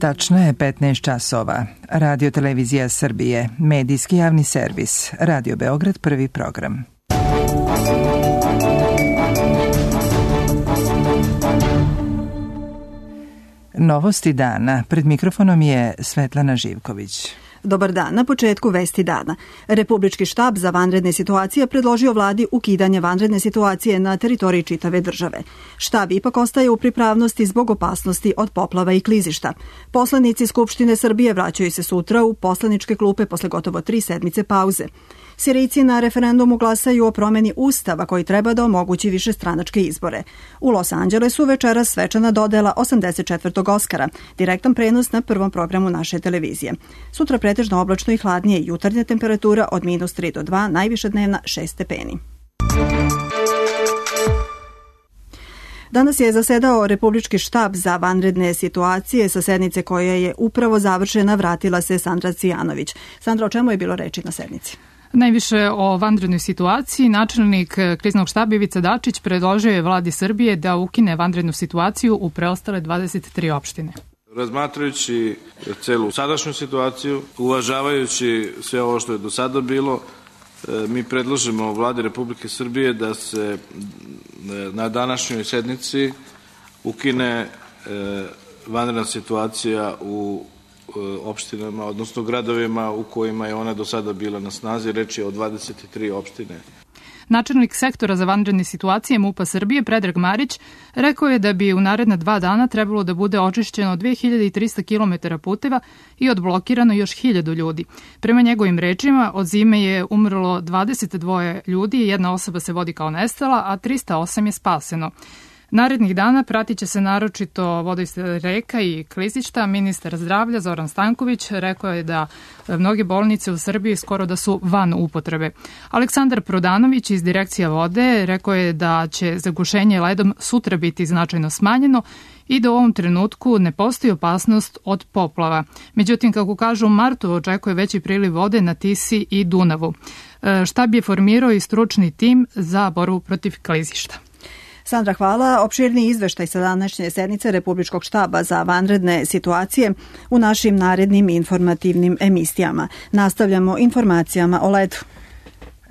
Tačno je 15 časova. Radio Televizija Srbije, medijski javni servis, Radio Beograd, prvi program. Novosti dana. Pred mikrofonom je Svetlana Živković. Dobar dan. Na početku vesti dana. Republički štab za vanredne situacije predložio vladi ukidanje vanredne situacije na teritoriji čitave države. Štab ipak ostaje u pripravnosti zbog opasnosti od poplava i klizišta. Poslanici Skupštine Srbije vraćaju se sutra u poslaničke klupe posle gotovo 3 sedmice pauze. Sirijci na referendumu glasaju o promeni Ustava koji treba da omogući višestranačke izbore. U Los Angelesu večeras svečana dodela 84. Oskara, direktan prenos na prvom programu naše televizije. Sutra pretežno oblačno i hladnije, jutarnja temperatura od -3 do 2, najviša dnevna 6 stepeni. Danas je zasedao Republički štab za vanredne situacije. Sa sednice koja je upravo završena vratila se Sandra Cijanović. Sandra, o čemu je bilo reči na sednici? Najviše o vanrednoj situaciji. Načelnik kriznog štaba Ivica Dačić predložio je vladi Srbije da ukine vanrednu situaciju u preostale 23 opštine. Razmatrajući celu sadašnju situaciju, uvažavajući sve ovo što je do sada bilo, mi predlažemo vladi Republike Srbije da se na današnjoj sednici ukine vanredna situacija u opštinama, odnosno gradovima u kojima je ona do sada bila na snazi. Reč je o 23 opštine. Načelnik sektora za vanredne situacije MUP-a Srbije, Predrag Marić, rekao je da bi u naredna 2 dana trebalo da bude očišćeno 2300 km puteva i odblokirano još 1000 ljudi. Prema njegovim rečima, od zime je umrlo 22 ljudi, 1 osoba se vodi kao nestala, a 308 je spaseno. Narednih dana pratit će se naročito vodoistaj reka i klizišta. Ministar zdravlja Zoran Stanković rekao je da mnoge bolnice u Srbiji skoro da su van upotrebe. Aleksandar Prodanović iz Direkcija vode rekao je da će zagušenje ledom sutra biti značajno smanjeno i da u ovom trenutku ne postoji opasnost od poplava. Međutim, kako kažu, u martu očekuje veći priliv vode na Tisi i Dunavu. Štab je formirao i stručni tim za borbu protiv klizišta. Sandra, hvala. Opširni izveštaj sa današnje sednice Republičkog štaba za vanredne situacije u našim narednim informativnim emisijama. Nastavljamo informacijama o ledu.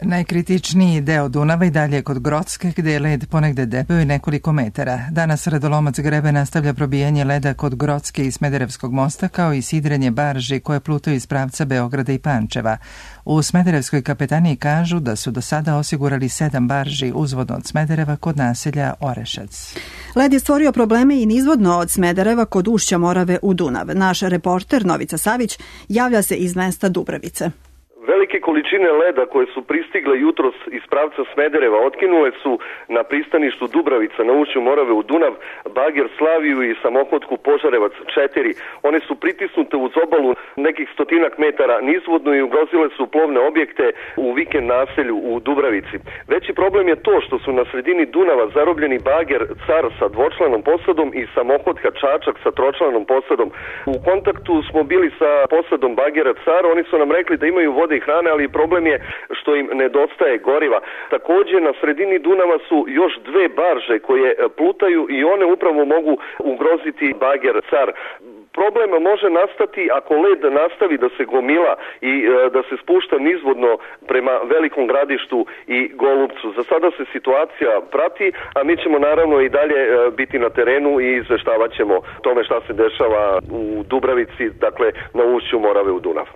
Najkritičniji deo Dunava i dalje kod Grocke, gde je led ponegde debeo i nekoliko metara. Danas Radolomac Grebe nastavlja probijanje leda kod Grocke i Smederevskog mosta, kao i sidrenje barži koje plutaju iz pravca Beograda i Pančeva. U Smederevskoj kapetaniji kažu da su do sada osigurali 7 barži uzvodno od Smedereva kod naselja Orešac. Led je stvorio probleme i nizvodno od Smedereva kod ušća Morave u Dunav. Naš reporter Novica Savić javlja se iz mesta Dubravice. Velike količine leda koje su pristigle jutros iz pravca Smedereva otkinule su na pristaništu Dubravica na ušću Morave u Dunav, bager Slaviju i samohodku Požarevac 4. One su pritisnute uz obalu nekih 100 metara nizvodno i ugrozile su plovne objekte u vikend naselju u Dubravici. Veći problem je to što su na sredini Dunava zarobljeni bager Car sa dvočlanom posadom i samohodka Čačak sa tročlanom posadom. U kontaktu smo bili sa posadom bagera Car, oni su nam rekli da imaju vode i hrane, ali problem je što im nedostaje goriva. Također na sredini Dunava su još 2 barže koje plutaju i one upravo mogu ugroziti bager Car. Problem može nastati ako led nastavi da se gomila i da se spušta nizvodno prema Velikom Gradištu i Golubcu. Za sada se situacija prati, a mi ćemo naravno i dalje biti na terenu i izveštavat ćemo tome šta se dešava u Dubravici, dakle na ušću Morave u Dunav.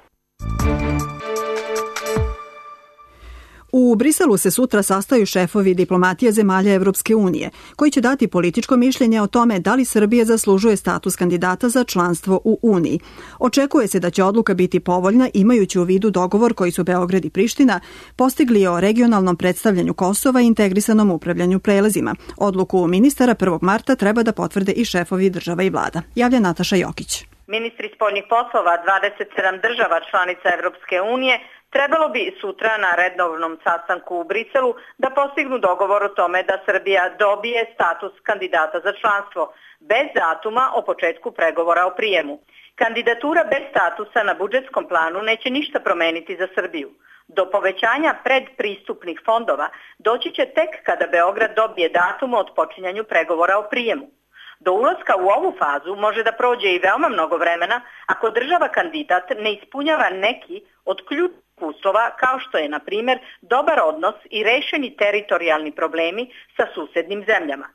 U Briselu se sutra sastaju šefovi diplomatije zemalja Evropske unije, koji će dati političko mišljenje o tome da li Srbija zaslužuje status kandidata za članstvo u Uniji. Očekuje se da će odluka biti povoljna imajući u vidu dogovor koji su Beograd i Priština postigli o regionalnom predstavljanju Kosova i integrisanom upravljanju prelazima. Odluku ministara 1. marta treba da potvrde i šefovi država i vlada. Javlja Nataša Jokić. Ministri spoljnih poslova 27 država članica Evropske unije trebalo bi sutra na redovnom sastanku u Briselu da postignu dogovor o tome da Srbija dobije status kandidata za članstvo, bez datuma o početku pregovora o prijemu. Kandidatura bez statusa na budžetskom planu neće ništa promeniti za Srbiju. Do povećanja predpristupnih fondova doći će tek kada Beograd dobije datum o otpočinjanju pregovora o prijemu. Do ulaska u ovu fazu može da prođe i veoma mnogo vremena ako država kandidat ne ispunjava neki od ključnih uslova kao što je, na primjer, dobar odnos i rešeni teritorijalni problemi sa susednim zemljama.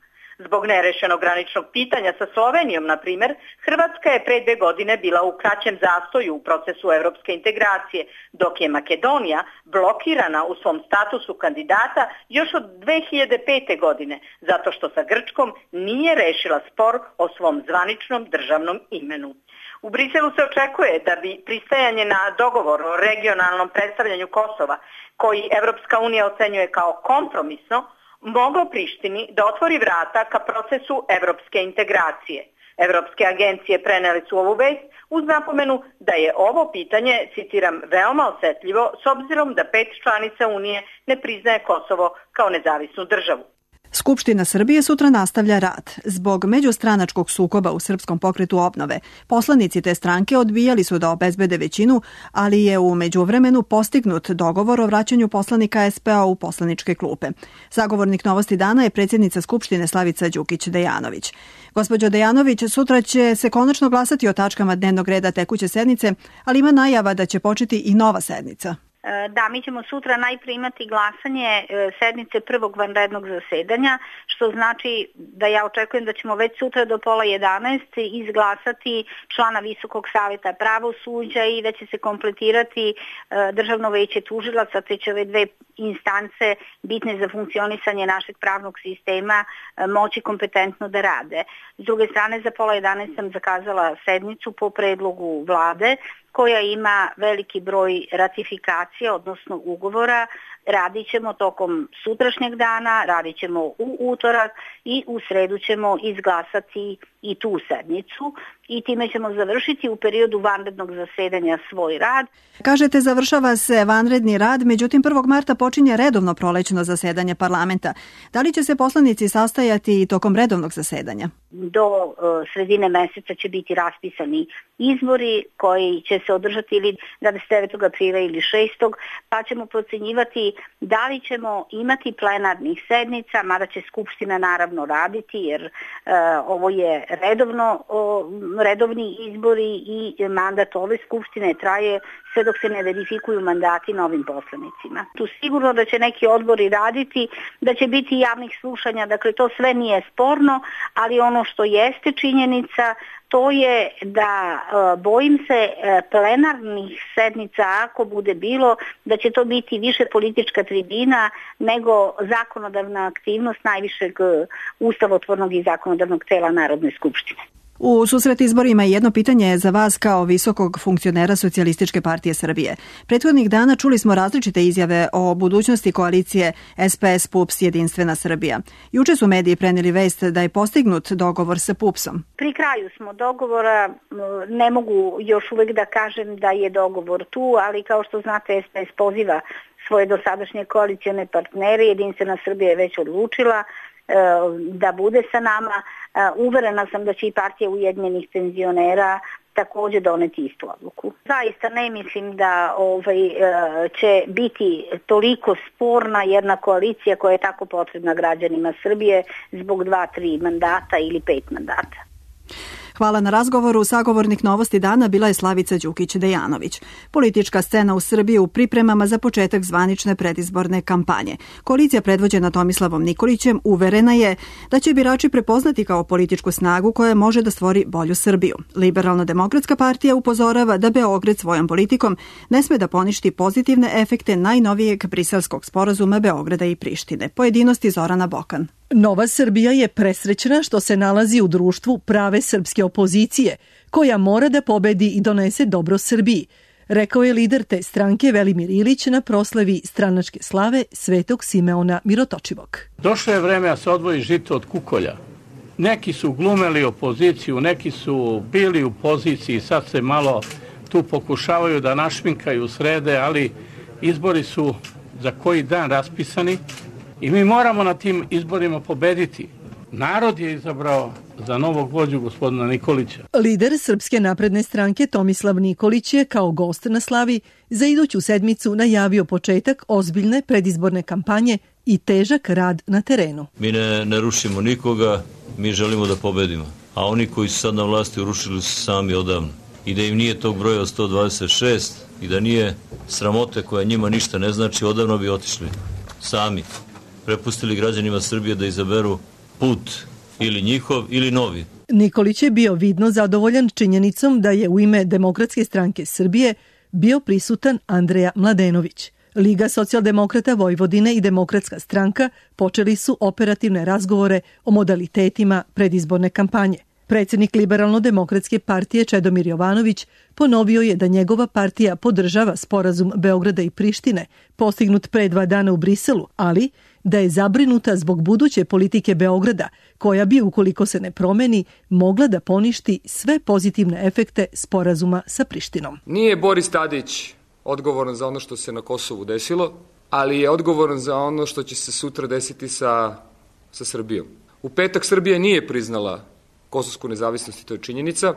Zbog nerešenog graničnog pitanja sa Slovenijom, na primjer, Hrvatska je pre 2 godine bila u kraćem zastoju u procesu evropske integracije, dok je Makedonija blokirana u svom statusu kandidata još od 2005. godine, zato što sa Grčkom nije rešila spor o svom zvaničnom državnom imenu. U Briselu se očekuje da bi pristajanje na dogovor o regionalnom predstavljanju Kosova, koji Evropska unija ocenjuje kao kompromisno, moglo Prištini da otvori vrata ka procesu evropske integracije. Evropske agencije preneli su ovu vest uz napomenu da je ovo pitanje, citiram, veoma osetljivo s obzirom da 5 članica Unije ne priznaje Kosovo kao nezavisnu državu. Skupština Srbije sutra nastavlja rad. Zbog međustranačkog sukoba u Srpskom pokretu obnove, poslanici te stranke odbijali su da obezbede većinu, ali je u međuvremenu postignut dogovor o vraćanju poslanika SPO u poslaničke klupe. Zagovornik Novosti dana je predsjednica Skupštine Slavica Đukić-Dejanović. Gospođo Dejanović, sutra će se konačno glasati o tačkama dnevnog reda tekuće sednice, ali ima najava da će početi i nova sednica. Da, mi ćemo sutra najprije imati glasanje sednice prvog vanrednog zasedanja, što znači da ja očekujem da ćemo već sutra do 10:30 izglasati člana Visokog saveta pravosuđa i da će se kompletirati Državno veće tužilaca, te će ove 2 instance bitne za funkcionisanje našeg pravnog sistema moći kompetentno da rade. S druge strane, za 10:30 sam zakazala sednicu po predlogu vlade, koja ima veliki broj ratifikacija, odnosno ugovora. Radit ćemo tokom sutrašnjeg dana, radit ćemo u utorak i u sredu ćemo izglasati i tu sednicu i time ćemo završiti u periodu vanrednog zasedanja svoj rad. Kažete, završava se vanredni rad, međutim 1. marta počinje redovno prolećno zasedanje parlamenta. Da li će se poslanici sastajati i tokom redovnog zasedanja? Do sredine meseca će biti raspisani izbori koji će se održati ili 29. aprila ili 6. pa ćemo procenjivati da li ćemo imati plenarnih sednica, mada će Skupština naravno raditi jer ovo je redovni izbori i mandat ove Skupštine traje sve dok se ne verifikuju mandati novim poslanicima. Tu sigurno da će neki odbori raditi, da će biti javnih slušanja, dakle to sve nije sporno, ali ono što jeste činjenica to je da bojim se plenarnih sednica, ako bude bilo, da će to biti više politička tribina nego zakonodavna aktivnost najvišeg ustavotvornog i zakonodavnog tela Narodne skupštine. U susret izborima jedno pitanje za vas kao visokog funkcionera Socijalističke partije Srbije. Prethodnih dana čuli smo različite izjave o budućnosti koalicije SPS PUPS Jedinstvena Srbija. Juče su mediji preneli vest da je postignut dogovor sa PUPS-om. Pri kraju smo dogovora, ne mogu još uvek da kažem da je dogovor tu, ali kao što znate SPS poziva svoje dosadašnje koalicione partnere, Jedinstvena Srbija je već odlučila da bude sa nama. Uverena sam da će i partija Ujedinjenih penzionera također doneti istu odluku. Zaista ne mislim da će biti toliko sporna jedna koalicija koja je tako potrebna građanima Srbije zbog 2-3 mandata ili 5 mandata. Hvala na razgovoru. Sagovornik Novosti dana bila je Slavica Đukić-Dejanović. Politička scena u Srbiji u pripremama za početak zvanične predizborne kampanje. Koalicija predvođena Tomislavom Nikolićem uverena je da će birači prepoznati kao političku snagu koja može da stvori bolju Srbiju. Liberalno-demokratska partija upozorava da Beograd svojom politikom ne sme da poništi pozitivne efekte najnovijeg briselskog sporazuma Beograda i Prištine. Pojedinosti Zorana Bokan. Nova Srbija je presrećna što se nalazi u društvu prave srpske opozicije, koja mora da pobedi i donese dobro Srbiji, rekao je lider te stranke Velimir Ilić na proslavi stranačke slave Svetog Simeona Mirotočivog. Došlo je vreme da se odvoji žito od kukolja. Neki su glumeli opoziciju, neki su bili u poziciji, sad se malo tu pokušavaju da našminkaju srede, ali izbori su za koji dan raspisani. I mi moramo na tim izborima pobediti. Narod je izabrao za novog vođu gospodina Nikolića. Lider Srpske napredne stranke Tomislav Nikolić je kao gost na slavi za iduću sedmicu najavio početak ozbiljne predizborne kampanje i težak rad na terenu. Mi ne rušimo nikoga, mi želimo da pobedimo. A oni koji su sad na vlasti urušili su sami odavno. I da im nije tog broja od 126 i da nije sramote koja njima ništa ne znači, odavno bi otišli sami. Prepustili građanima Srbije da izaberu put ili njihov ili novi. Nikolić je bio vidno zadovoljan činjenicom da je u ime Demokratske stranke Srbije bio prisutan Andreja Mladenović. Liga socijaldemokrata Vojvodine i Demokratska stranka počeli su operativne razgovore o modalitetima predizborne kampanje. Predsjednik Liberalno-demokratske partije Čedomir Jovanović ponovio je da njegova partija podržava sporazum Beograda i Prištine, postignut pre 2 dana u Briselu, ali da je zabrinuta zbog buduće politike Beograda, koja bi, ukoliko se ne promeni, mogla da poništi sve pozitivne efekte sporazuma sa Prištinom. Nije Boris Tadić odgovoran za ono što se na Kosovu desilo, ali je odgovoran za ono što će se sutra desiti sa Srbijom. U petak Srbija nije priznala kosovsku nezavisnost i to je činjenica,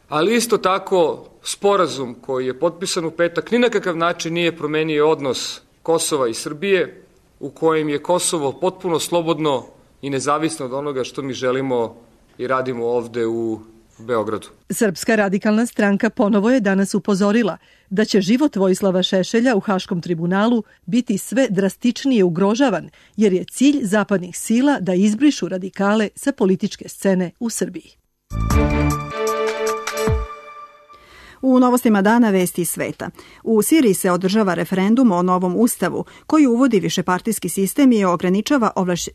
ali isto tako sporazum koji je potpisan u petak ni na kakav način nije promenio odnos Kosova i Srbije, u kojem je Kosovo potpuno slobodno i nezavisno od onoga što mi želimo i radimo ovde u Beogradu. Srpska radikalna stranka ponovo je danas upozorila da će život Vojislava Šešelja u Haškom tribunalu biti sve drastičnije ugrožavan, jer je cilj zapadnih sila da izbrišu radikale sa političke scene u Srbiji. U novostima dana vesti iz sveta. U Siriji se održava referendum o novom ustavu koji uvodi višepartijski sistem i ograničava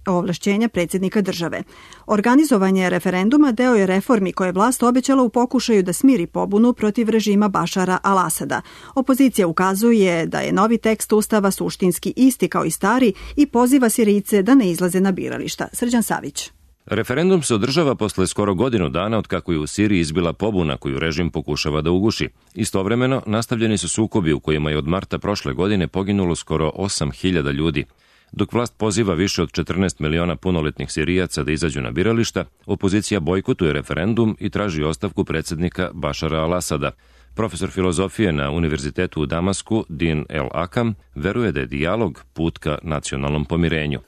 ovlašćenja predsjednika države. Organizovanje referenduma deo je reformi koje je vlast obećala u pokušaju da smiri pobunu protiv režima Bašara al-Asada. Opozicija ukazuje da je novi tekst ustava suštinski isti kao i stari i poziva Sirijce da ne izlaze na birališta. Srđan Savić. Referendum se održava posle skoro godinu dana od kako je u Siriji izbila pobuna koju režim pokušava da uguši. Istovremeno, nastavljeni su sukobi u kojima je od marta prošle godine poginulo skoro 8.000 ljudi. Dok vlast poziva više od 14 miliona punoletnih Sirijaca da izađu na birališta, opozicija bojkotuje referendum i traži ostavku predsjednika Bašara al-Asada. Profesor filozofije na Univerzitetu u Damasku, Din El Akam, veruje da je dijalog put ka nacionalnom pomirenju.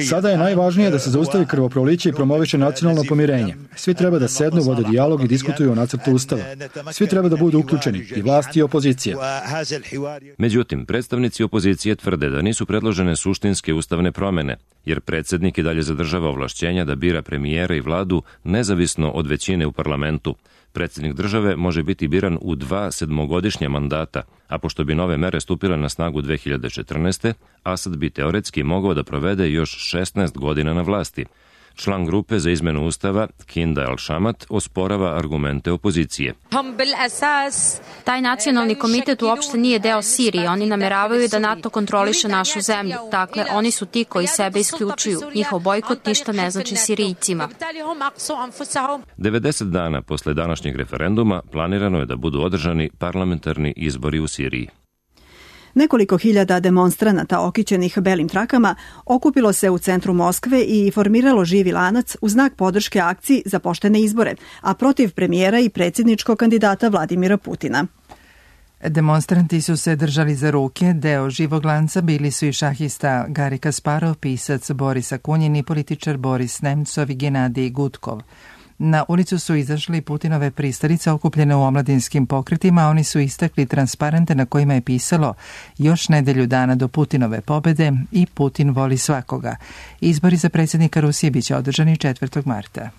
Sada je najvažnije da se zaustavi krvoproliće i promoviše nacionalno pomirenje. Svi treba da sednu, vode dijalog i diskutuju o nacrtu ustava. Svi treba da budu uključeni, i vlast i opozicija. Međutim, predstavnici opozicije tvrde da nisu predložene suštinske ustavne promene, jer predsjednik i dalje zadržava ovlašćenja da bira premijera i vladu nezavisno od većine u parlamentu. Predsjednik države može biti biran u 2 sedmogodišnja mandata, a pošto bi nove mere stupile na snagu 2014. Asad bi teoretski mogao da provede još 16 godina na vlasti. Član grupe za izmenu ustava, Kinda Al-Shamat, osporava argumente opozicije. Taj nacionalni komitet uopšte nije deo Sirije. Oni nameravaju da NATO kontroliše našu zemlju. Dakle, oni su ti koji sebe isključuju. Njihov bojkot ništa ne znači Sirijcima. 90 dana posle današnjeg referenduma planirano je da budu održani parlamentarni izbori u Siriji. Nekoliko hiljada demonstranata okićenih belim trakama okupilo se u centru Moskve i formiralo živi lanac u znak podrške akciji za poštene izbore, a protiv premijera i predsjedničkog kandidata Vladimira Putina. Demonstranti su se držali za ruke, deo živog lanca bili su i šahista Gari Kasparov, pisac Boris Akunjin i političar Boris Nemcov i Genadij Gutkov. Na ulicu su izašli Putinove pristalice okupljene u omladinskim pokretima, a oni su istakli transparente na kojima je pisalo još nedelju dana do Putinove pobede i Putin voli svakoga. Izbori za predsjednika Rusije biće održani 4. marta.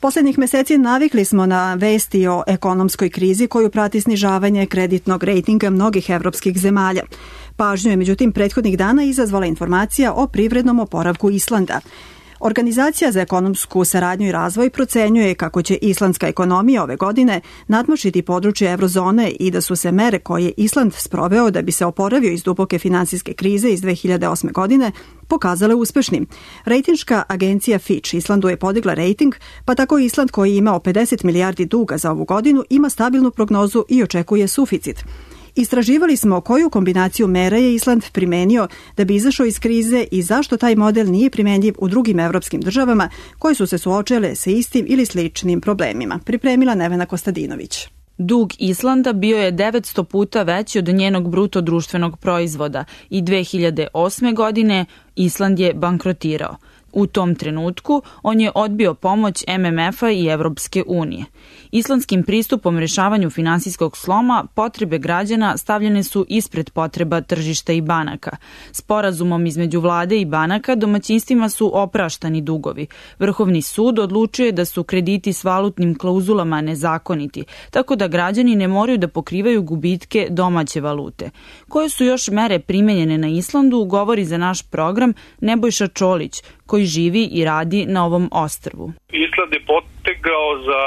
Poslednjih meseci navikli smo na vesti o ekonomskoj krizi koju prati snižavanje kreditnog rejtinga mnogih evropskih zemalja. Pažnju je međutim prethodnih dana izazvala informacija o privrednom oporavku Islanda. Organizacija za ekonomsku saradnju i razvoj procenjuje kako će islandska ekonomija ove godine nadmašiti područje eurozone i da su se mere koje Island sproveo da bi se oporavio iz duboke finansijske krize iz 2008. godine pokazale uspešnim. Rejtinška agencija Fitch Islandu je podigla rejting, pa tako Island koji je imao 50 milijardi duga za ovu godinu ima stabilnu prognozu i očekuje suficit. Istraživali smo koju kombinaciju mera je Island primenio da bi izašao iz krize i zašto taj model nije primenjiv u drugim evropskim državama koje su se suočile sa istim ili sličnim problemima. Pripremila Nevena Kostadinović. Dug Islanda bio je 900 puta veći od njenog bruto društvenog proizvoda i 2008. godine Island je bankrotirao. U tom trenutku on je odbio pomoć MMF-a i Evropske unije. Islandskim pristupom rešavanju finansijskog sloma potrebe građana stavljene su ispred potreba tržišta i banaka. Sporazumom između vlade i banaka domaćinstvima su opraštani dugovi. Vrhovni sud odlučio je da su krediti s valutnim klauzulama nezakoniti, tako da građani ne moraju da pokrivaju gubitke domaće valute. Koje su još mere primenjene na Islandu, govori za naš program Nebojša Čolić, koji živi i radi na ovom ostrvu. Island je potegao za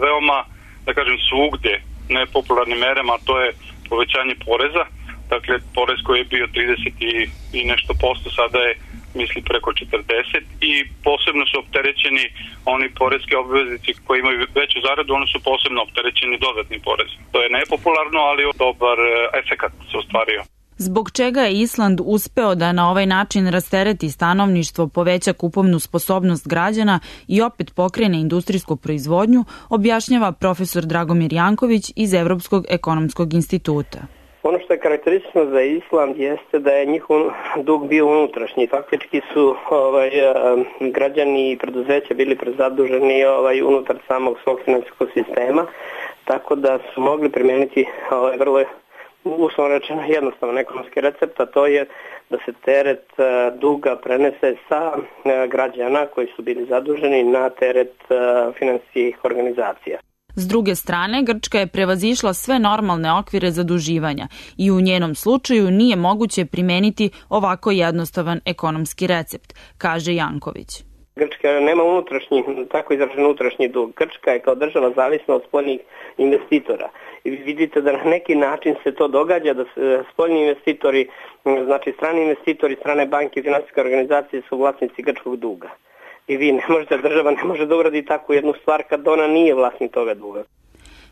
veoma, da kažem, svugde nepopularnim merama, a to je povećanje poreza. Dakle, porez koji je bio 30 i nešto posto, sada je, misli, preko 40 i posebno su opterećeni oni poreski obveznici koji imaju veću zaradu, oni su posebno opterećeni dodatnim porezom. To je nepopularno, ali dobar efekat se ostvario. Zbog čega je Island uspeo da na ovaj način rastereti stanovništvo, poveća kupovnu sposobnost građana i opet pokrene industrijsku proizvodnju, objašnjava profesor Dragomir Janković iz Evropskog ekonomskog instituta. Ono što je karakteristično za Island jeste da je njihov dug bio unutrašnji. Faktički su građani i preduzeća bili prezaduženi unutar samog svog finansijskog sistema, tako da su mogli primijeniti vrlo uslovno rečeno jednostavan ekonomski recept, a to je da se teret duga prenese sa građana koji su bili zaduženi na teret finansijskih organizacija. S druge strane, Grčka je prevazišla sve normalne okvire zaduživanja i u njenom slučaju nije moguće primeniti ovako jednostavan ekonomski recept, kaže Janković. Grčka nema tako izražen unutrašnji dug. Grčka je kao država zavisna od spoljnih investitora. I vidite da na neki način se to događa, da spoljni investitori, znači strani investitori, strane banke i finansijske organizacije su vlasnici grčkog duga. I država ne može da uradi takvu jednu stvar kad ona nije vlasnik toga duga.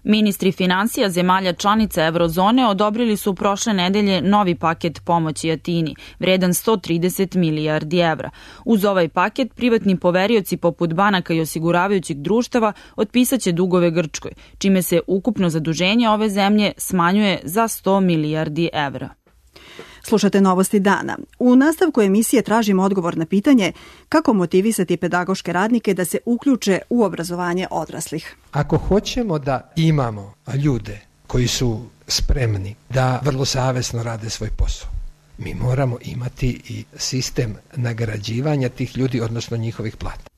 Ministri finansija zemalja članica Eurozone odobrili su prošle nedelje novi paket pomoći Atini, vredan 130 milijardi evra. Uz ovaj paket, privatni poverioci poput banaka i osiguravajućih društava otpisaće dugove Grčkoj, čime se ukupno zaduženje ove zemlje smanjuje za 100 milijardi evra. Slušate Novosti dana. U nastavku emisije tražimo odgovor na pitanje kako motivisati pedagoške radnike da se uključe u obrazovanje odraslih. Ako hoćemo da imamo ljude koji su spremni da vrlo savesno rade svoj posao, mi moramo imati i sistem nagrađivanja tih ljudi, odnosno njihovih plata.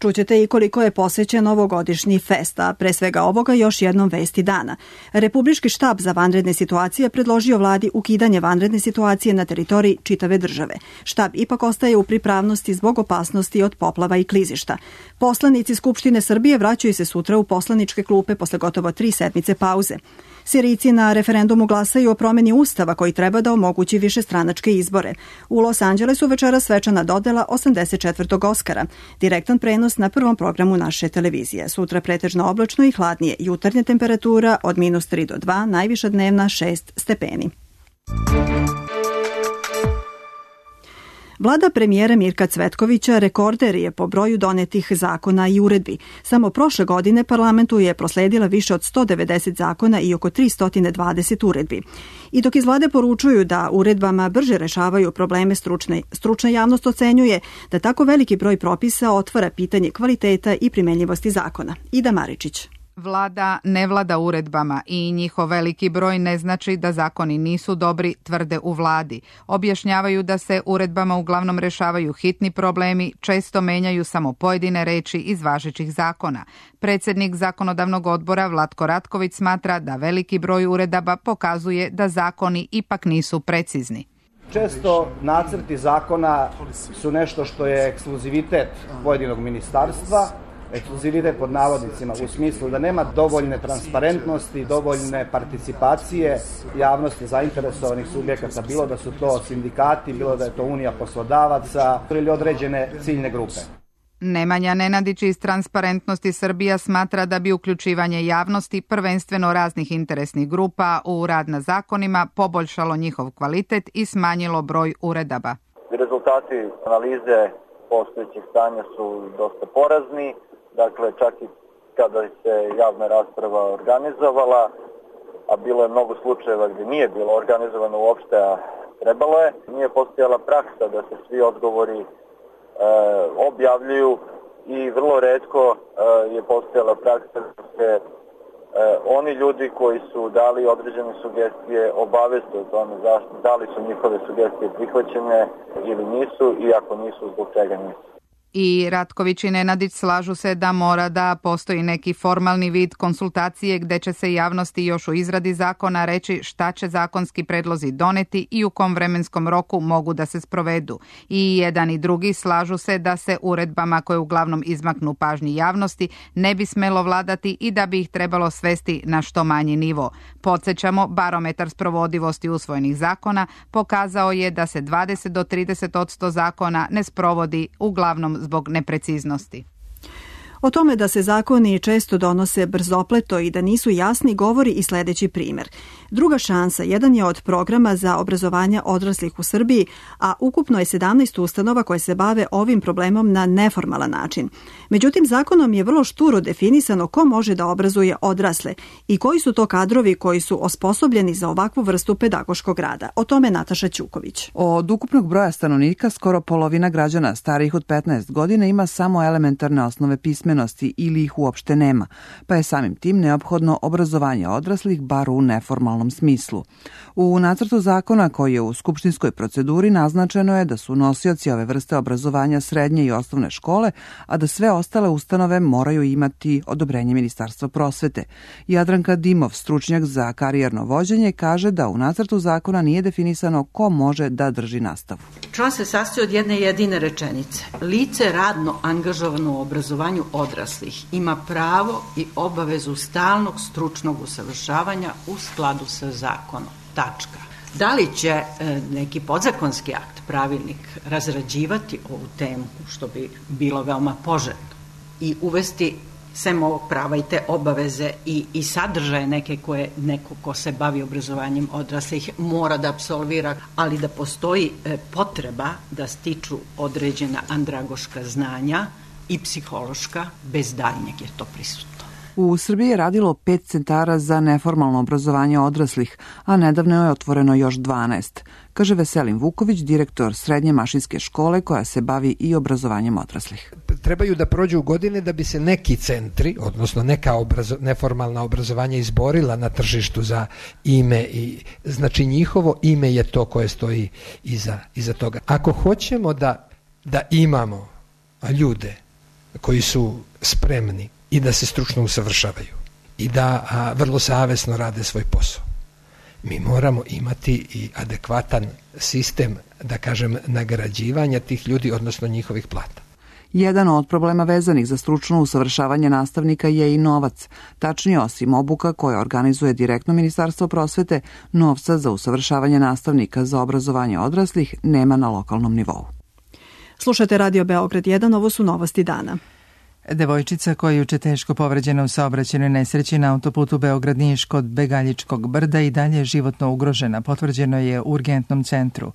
Čućete i koliko je posvećen ovogodišnji fest, a pre svega ovoga još jednom vesti dana. Republički štab za vanredne situacije predložio vladi ukidanje vanredne situacije na teritoriji čitave države. Štab ipak ostaje u pripravnosti zbog opasnosti od poplava i klizišta. Poslanici Skupštine Srbije vraćaju se sutra u poslaničke klupe posle gotovo 3 sedmice pauze. Sirijci na referendumu glasaju o promeni ustava koji treba da omogući višestranačke izbore. U Los Angelesu večera svečana dodela 84. Oskara. Direktan prenos na prvom programu naše televizije. Sutra pretežno oblačno i hladnije. Jutarnja temperatura od -3 do 2, najviša dnevna 6 stepeni. Vlada premijera Mirka Cvetkovića rekorder je po broju donetih zakona i uredbi. Samo prošle godine parlamentu je prosledila više od 190 zakona i oko 320 uredbi. I dok iz vlade poručuju da uredbama brže rešavaju probleme stručna javnost ocenjuje da tako veliki broj propisa otvara pitanje kvaliteta i primenljivosti zakona. Ida Maričić. Vlada ne vlada uredbama i njihov veliki broj ne znači da zakoni nisu dobri, tvrde u vladi. Objašnjavaju da se uredbama uglavnom rešavaju hitni problemi, često menjaju samo pojedine reči iz važećih zakona. Predsjednik zakonodavnog odbora Vlatko Ratković smatra da veliki broj uredaba pokazuje da zakoni ipak nisu precizni. Često nacrti zakona su nešto što je ekskluzivitet pojedinog ministarstva, ekskluzivitet pod navodnicima u smislu da nema dovoljne transparentnosti, dovoljne participacije javnosti zainteresovanih subjekata, bilo da su to sindikati, bilo da je to Unija poslodavaca ili određene ciljne grupe. Nemanja Nenadić iz Transparentnosti Srbija smatra da bi uključivanje javnosti, prvenstveno raznih interesnih grupa, u rad na zakonima poboljšalo njihov kvalitet i smanjilo broj uredaba. Rezultati analize postojećih stanja su dosta porazni. Dakle, čak i kada se javna rasprava organizovala, a bilo je mnogo slučajeva gdje nije bilo organizovano uopšte, a trebalo je, nije postojala praksa da se svi odgovori objavljuju i vrlo retko je postojala praksa da se oni ljudi koji su dali određene sugestije obaveste o tome da li su njihove sugestije prihvaćene ili nisu i ako nisu, zbog čega nisu. I Ratković i Nenadić slažu se da mora da postoji neki formalni vid konsultacije gde će se javnosti još u izradi zakona reći šta će zakonski predlozi doneti i u kom vremenskom roku mogu da se sprovedu. I jedan i drugi slažu se da se uredbama koje uglavnom izmaknu pažnji javnosti ne bi smelo vladati i da bi ih trebalo svesti na što manji nivo. Podsećamo, barometar sprovodivosti usvojenih zakona pokazao je da se 20 do 30% zakona ne sprovodi uglavnom zbog nepreciznosti. O tome da se zakoni često donose brzopleto i da nisu jasni govori i sledeći primer. Druga šansa jedan je od programa za obrazovanje odraslih u Srbiji, a ukupno je 17 ustanova koje se bave ovim problemom na neformalan način. Međutim, zakonom je vrlo šturo definisano ko može da obrazuje odrasle i koji su to kadrovi koji su osposobljeni za ovakvu vrstu pedagoškog rada. O tome Nataša Ćuković. Od ukupnog broja stanovnika skoro polovina građana starijih od 15 godina ima samo elementarne osnove pismenosti ili ih uopšte nema, pa je samim tim neophodno obrazovanje odraslih bar u neformalnom smislu. U nacrtu zakona koji je u skupštinskoj proceduri naznačeno je da su nosioci ove vrste obrazovanja srednje i osnovne škole, a da sve ostale ustanove moraju imati odobrenje Ministarstva prosvete. Jadranka Dimov, stručnjak za karijerno vođenje, kaže da u nacrtu zakona nije definisano ko može da drži nastavu. Član se sastoji od jedne jedine rečenice. Lice radno angažovano u obrazovanju odraslih ima pravo i obavezu stalnog stručnog usavršavanja u skladu sa zakonom. Tačka. Da li će neki podzakonski akt, pravilnik, razrađivati ovu temu, što bi bilo veoma poželjno, i uvesti sem ovog prava i te obaveze i sadržaje neke koje neko ko se bavi obrazovanjem odraslih mora da apsolvira, ali da postoji potreba da stiču određena andragoška znanja i psihološka, bez daljnjeg je to prisutno. U Srbiji je radilo 5 centara za neformalno obrazovanje odraslih, a nedavno je otvoreno još 12, kaže Veselin Vuković, direktor Srednje mašinske škole koja se bavi i obrazovanjem odraslih. Trebaju da prođu godine da bi se neki centri, odnosno neka neformalna obrazovanja izborila na tržištu za ime i znači njihovo ime je to koje stoji iza toga. Ako hoćemo da imamo ljude koji su spremni i da se stručno usavršavaju i da vrlo savesno rade svoj posao, mi moramo imati i adekvatan sistem, da kažem, nagrađivanja tih ljudi, odnosno njihovih plata. Jedan od problema vezanih za stručno usavršavanje nastavnika je i novac. Tačnije, osim obuka koje organizuje direktno Ministarstvo prosvete, novca za usavršavanje nastavnika za obrazovanje odraslih nema na lokalnom nivou. Slušate Radio Beograd 1, ovo su novosti dana. Devojčica koja je juče teško povređena u saobraćajnoj nesreći na autoputu Beograd-Niš kod Begaljičkog brda i dalje je životno ugrožena, potvrđeno je u urgentnom centru.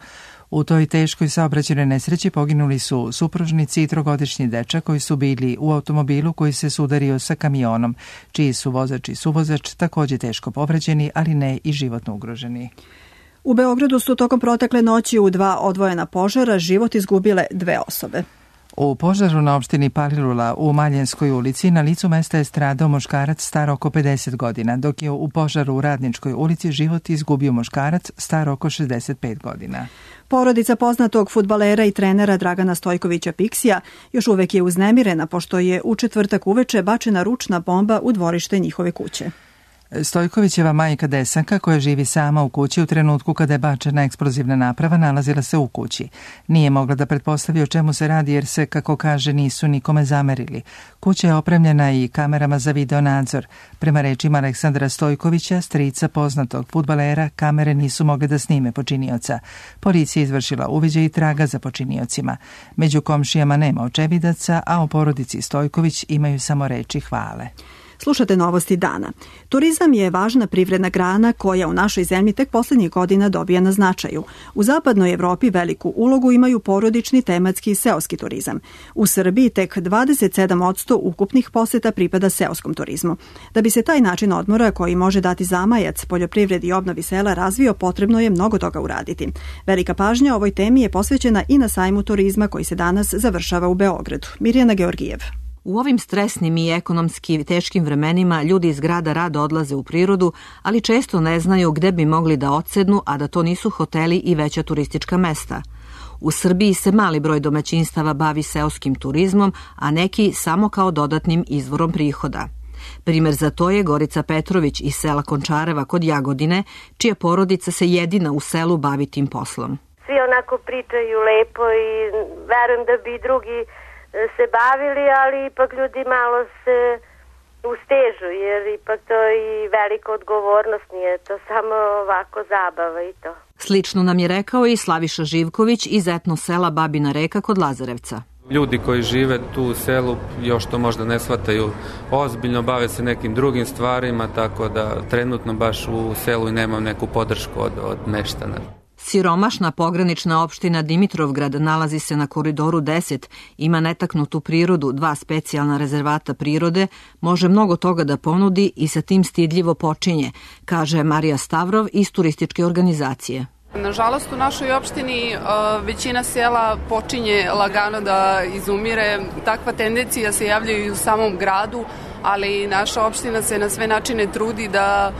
U toj teškoj saobraćajnoj nesreći poginuli su supružnici i 3-godišnji dečak koji su bili u automobilu koji se sudario sa kamionom, čiji su vozač i suvozač takođe teško povređeni, ali ne i životno ugroženi. U Beogradu su tokom protekle noći u 2 odvojena požara život izgubile 2 osobe. U požaru na opštini Palilula u Maljenskoj ulici na licu mesta je stradao muškarac star oko 50 godina, dok je u požaru u Radničkoj ulici život izgubio muškarac star oko 65 godina. Porodica poznatog fudbalera i trenera Dragana Stojkovića Piksija još uvek je uznemirena pošto je u četvrtak uveče bačena ručna bomba u dvorište njihove kuće. Stojkovićeva majka Desanka, koja živi sama u kući u trenutku kada je bačena eksplozivna naprava, nalazila se u kući. Nije mogla da pretpostavi o čemu se radi jer se, kako kaže, nisu nikome zamerili. Kuća je opremljena i kamerama za video nadzor. Prema rečima Aleksandra Stojkovića, strica poznatog fudbalera, kamere nisu mogle da snime počinioca. Policija izvršila uviđaj i traga za počiniocima. Među komšijama nema očevidaca, a o porodici Stojković imaju samo reči hvale. Slušate novosti dana. Turizam je važna privredna grana koja u našoj zemlji tek poslednjih godina dobija na značaju. U zapadnoj Evropi veliku ulogu imaju porodični, tematski i seoski turizam. U Srbiji tek 27% ukupnih poseta pripada seoskom turizmu. Da bi se taj način odmora koji može dati zamajac poljoprivredi i obnovi sela razvio, potrebno je mnogo toga uraditi. Velika pažnja ovoj temi je posvećena i na sajmu turizma koji se danas završava u Beogradu. Mirjana Georgijev. U ovim stresnim i ekonomski teškim vremenima ljudi iz grada rado odlaze u prirodu, ali često ne znaju gde bi mogli da odsednu, a da to nisu hoteli i veća turistička mesta. U Srbiji se mali broj domaćinstava bavi seoskim turizmom, a neki samo kao dodatnim izvorom prihoda. Primer za to je Gorica Petrović iz sela Končareva kod Jagodine, čija porodica se jedina u selu bavi tim poslom. Svi onako pričaju lepo i verujem da bi drugi se bavili, ali ipak ljudi malo se ustežu, jer ipak to je i velika odgovornost, nije to samo ovako zabava i to. Slično nam je rekao i Slaviša Živković iz etno sela Babina Reka kod Lazarevca. Ljudi koji žive tu u selu još to možda ne shvataju ozbiljno, bave se nekim drugim stvarima, tako da trenutno baš u selu i nemam neku podršku od meštana. Siromašna pogranična opština Dimitrovgrad nalazi se na Koridoru 10, ima netaknutu prirodu, 2 specijalna rezervata prirode, može mnogo toga da ponudi i sa tim stidljivo počinje, kaže Marija Stavrov iz turističke organizacije. Nažalost, u našoj opštini većina sela počinje lagano da izumire. Takva tendencija se javlja i u samom gradu, ali naša opština se na sve načine trudi da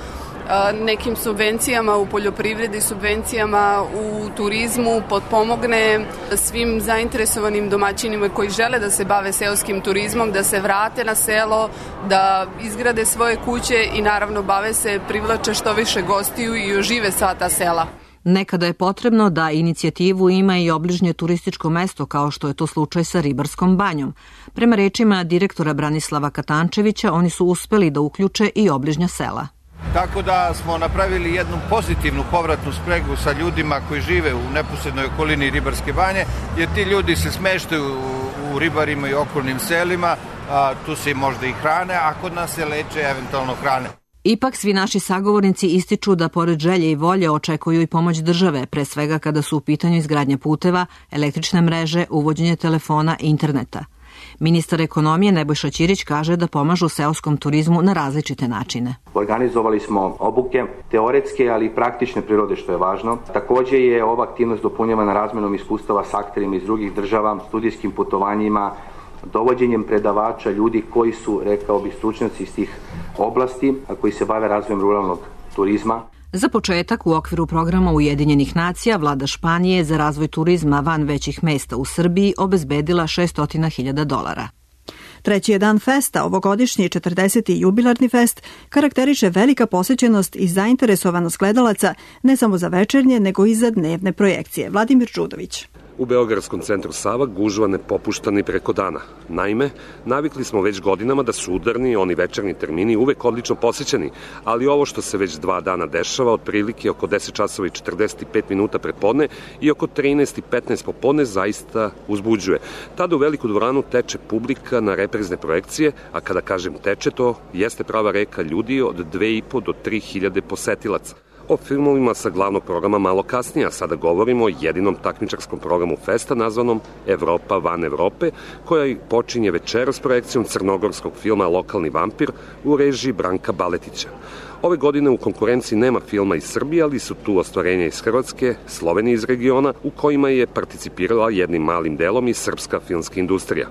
nekim subvencijama u poljoprivredi, subvencijama u turizmu potpomogne svim zainteresovanim domaćinima koji žele da se bave seoskim turizmom, da se vrate na selo, da izgrade svoje kuće i naravno bave se, privlače što više gostiju i ožive sva ta sela. Nekada je potrebno da inicijativu ima i obližnje turističko mesto, kao što je to slučaj sa Ribarskom banjom. Prema rečima direktora Branislava Katančevića, oni su uspeli da uključe i obližnja sela. Tako da smo napravili jednu pozitivnu povratnu spregu sa ljudima koji žive u neposrednoj okolini Ribarske banje, jer ti ljudi se smeštaju u Ribarima i okolnim selima, tu se možda i hrane, a kod nas se leče eventualno hrane. Ipak svi naši sagovornici ističu da pored želje i volje očekuju i pomoć države, pre svega kada su u pitanju izgradnja puteva, električne mreže, uvođenje telefona i interneta. Ministar ekonomije Nebojša Ćirić kaže da pomažu seoskom turizmu na različite načine. Organizovali smo obuke, teoretske, ali i praktične prirode, što je važno. Takođe je ova aktivnost dopunjavana razmenom iskustava s akterima iz drugih država, studijskim putovanjima, dovođenjem predavača, ljudi koji su, rekao bi, stručnjaci iz tih oblasti, a koji se bave razvojem ruralnog turizma. Za početak, u okviru programa Ujedinjenih nacija, vlada Španije za razvoj turizma van većih mesta u Srbiji obezbedila $600.000. Treći je dan festa, ovogodišnji 40. jubilarni fest, karakteriše velika posjećenost i zainteresovanost gledalaca ne samo za večernje, nego i za dnevne projekcije. Vladimir Čudović. U Beogradskom centru Sava gužva ne popušta ni preko dana. Naime, navikli smo već godinama da su udarni, oni večernji termini uvek odlično posećeni, ali ovo što se već 2 dana dešava, otprilike oko 10 časova i 45 minuta predpodne i oko 13:15 popodne, zaista uzbuđuje. Tada u veliku dvoranu teče publika na reprizne projekcije, a kada kažem teče, to jeste prava reka ljudi od 2.500 do 3.000 posetilaca. O filmovima sa glavnog programa malo kasnije, a sada govorimo o jedinom takmičarskom programu festa nazvanom Evropa van Evrope, koja počinje večeras projekcijom crnogorskog filma Lokalni vampir u režiji Branka Baletića. Ove godine u konkurenciji nema filma iz Srbije, ali su tu ostvarenja iz Hrvatske, Slovenije iz regiona, u kojima je participirala jednim malim delom i srpska filmska industrija.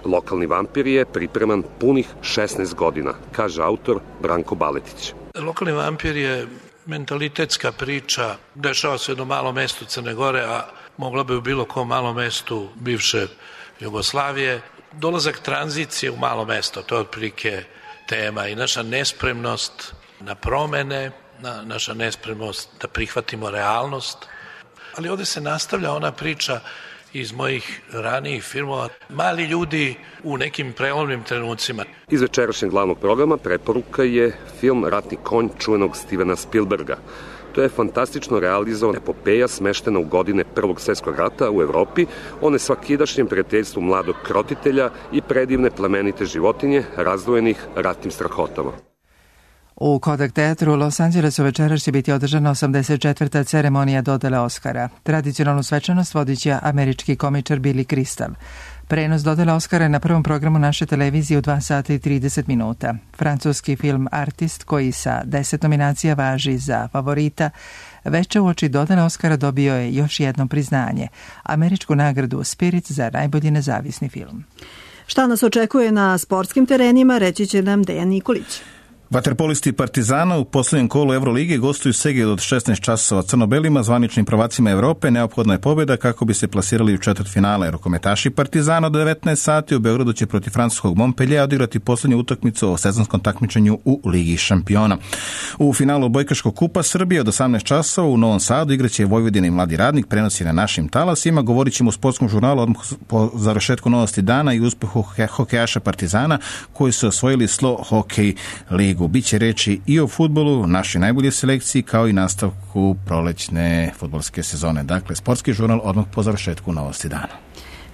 Lokalni vampir je pripreman punih 16 godina, kaže autor Branko Baletić. Lokalni vampir je mentalitetska priča, dešava se u jednom malom mestu Crne Gore, a mogla bi u bilo kom malom mestu bivše Jugoslavije. Dolazak tranzicije u malo mesto, to je otprilike tema i naša nespremnost na promene, naša nespremnost da prihvatimo realnost. Ali ovde se nastavlja ona priča iz mojih ranijih filmova, mali ljudi u nekim prelomnim trenucima. Iz večerašnjeg glavnog programa preporuka je film Ratni konj čuvenog Stevena Spielberga. To je fantastično realizovana epopeja smeštena u godine Prvog svjetskog rata u Evropi o nesvakidašnjem prijateljstvu mladog krotitelja i predivne plemenite životinje razdvojenih ratnim strahotama. U Kodak teatru u Los Angelesu večeras će biti održana 84. ceremonija dodele Oscara. Tradicionalnu svečanost vodit će američki komičar Billy Crystal. Prenos dodele Oscara je na prvom programu naše televizije u 2 sata i 30 minuta. Francuski film Artist, koji sa 10 nominacija važi za favorita, veče uoči dodele Oscara dobio je još jedno priznanje, američku nagradu Spirit za najbolji nezavisni film. Šta nas očekuje na sportskim terenima, reći će nam Dejan Nikolić. Vaterpolisti Partizana u posljednjem kolu Evrolige gostuju Seged od 16 časova crno-belima, zvaničnim prvacima Evrope. Neophodna je pobjeda kako bi se plasirali u četvrtfinale. Rukometaši Partizana od 19 sati u Beogradu će protiv francuskog Montpellier odigrati posljednju utakmicu o sezonskom takmičenju u Ligi šampiona. U finalu odbojkaškog kupa Srbije od 18 časova u Novom Sadu igraće Vojvodina i Mladi radnik, prenosi na našim talasima. Govorit ćemo u sportskom žurnalu odmah po završetku novosti dana i uspehu hokejaša Partizana koji su osvojili Slo Hokej ligu. Biće reći i o fudbalu, našoj najboljoj selekciji, kao i nastavku prolećne fudbalske sezone. Dakle, sportski žurnal odmah po završetku novosti dana.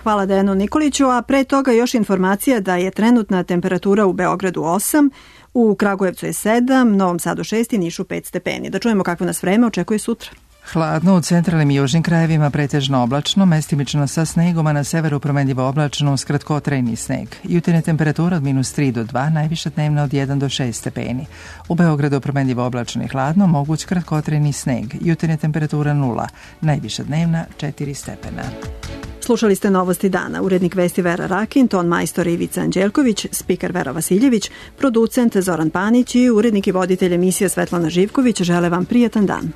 Hvala Dejanu Nikoliću, a pre toga još informacija da je trenutna temperatura u Beogradu 8, u Kragujevcu je 7, Novom Sadu 6 i Nišu 5 stepeni. Da čujemo kakvo nas vreme očekuje sutra. Hladno u centralnim i južnim krajevima, pretežno oblačno, mestimično sa snegom, a na severu promenljivo oblačno uz kratkotrajni sneg. Jutarnja temperatura od -3 do 2, najviša dnevna od 1 do 6 stepeni. U Beogradu promenljivo oblačno i hladno, moguć kratkotrajni sneg. Jutarnja temperatura 0, najviša dnevna 4 stepena. Slušali ste novosti dana. Urednik vesti Vera Rakin, ton majstor Ivica Anđelković, spiker Vera Vasiljević, producent Zoran Panić i urednik i voditelj emisije Svetlana Živković žele vam prijatan dan.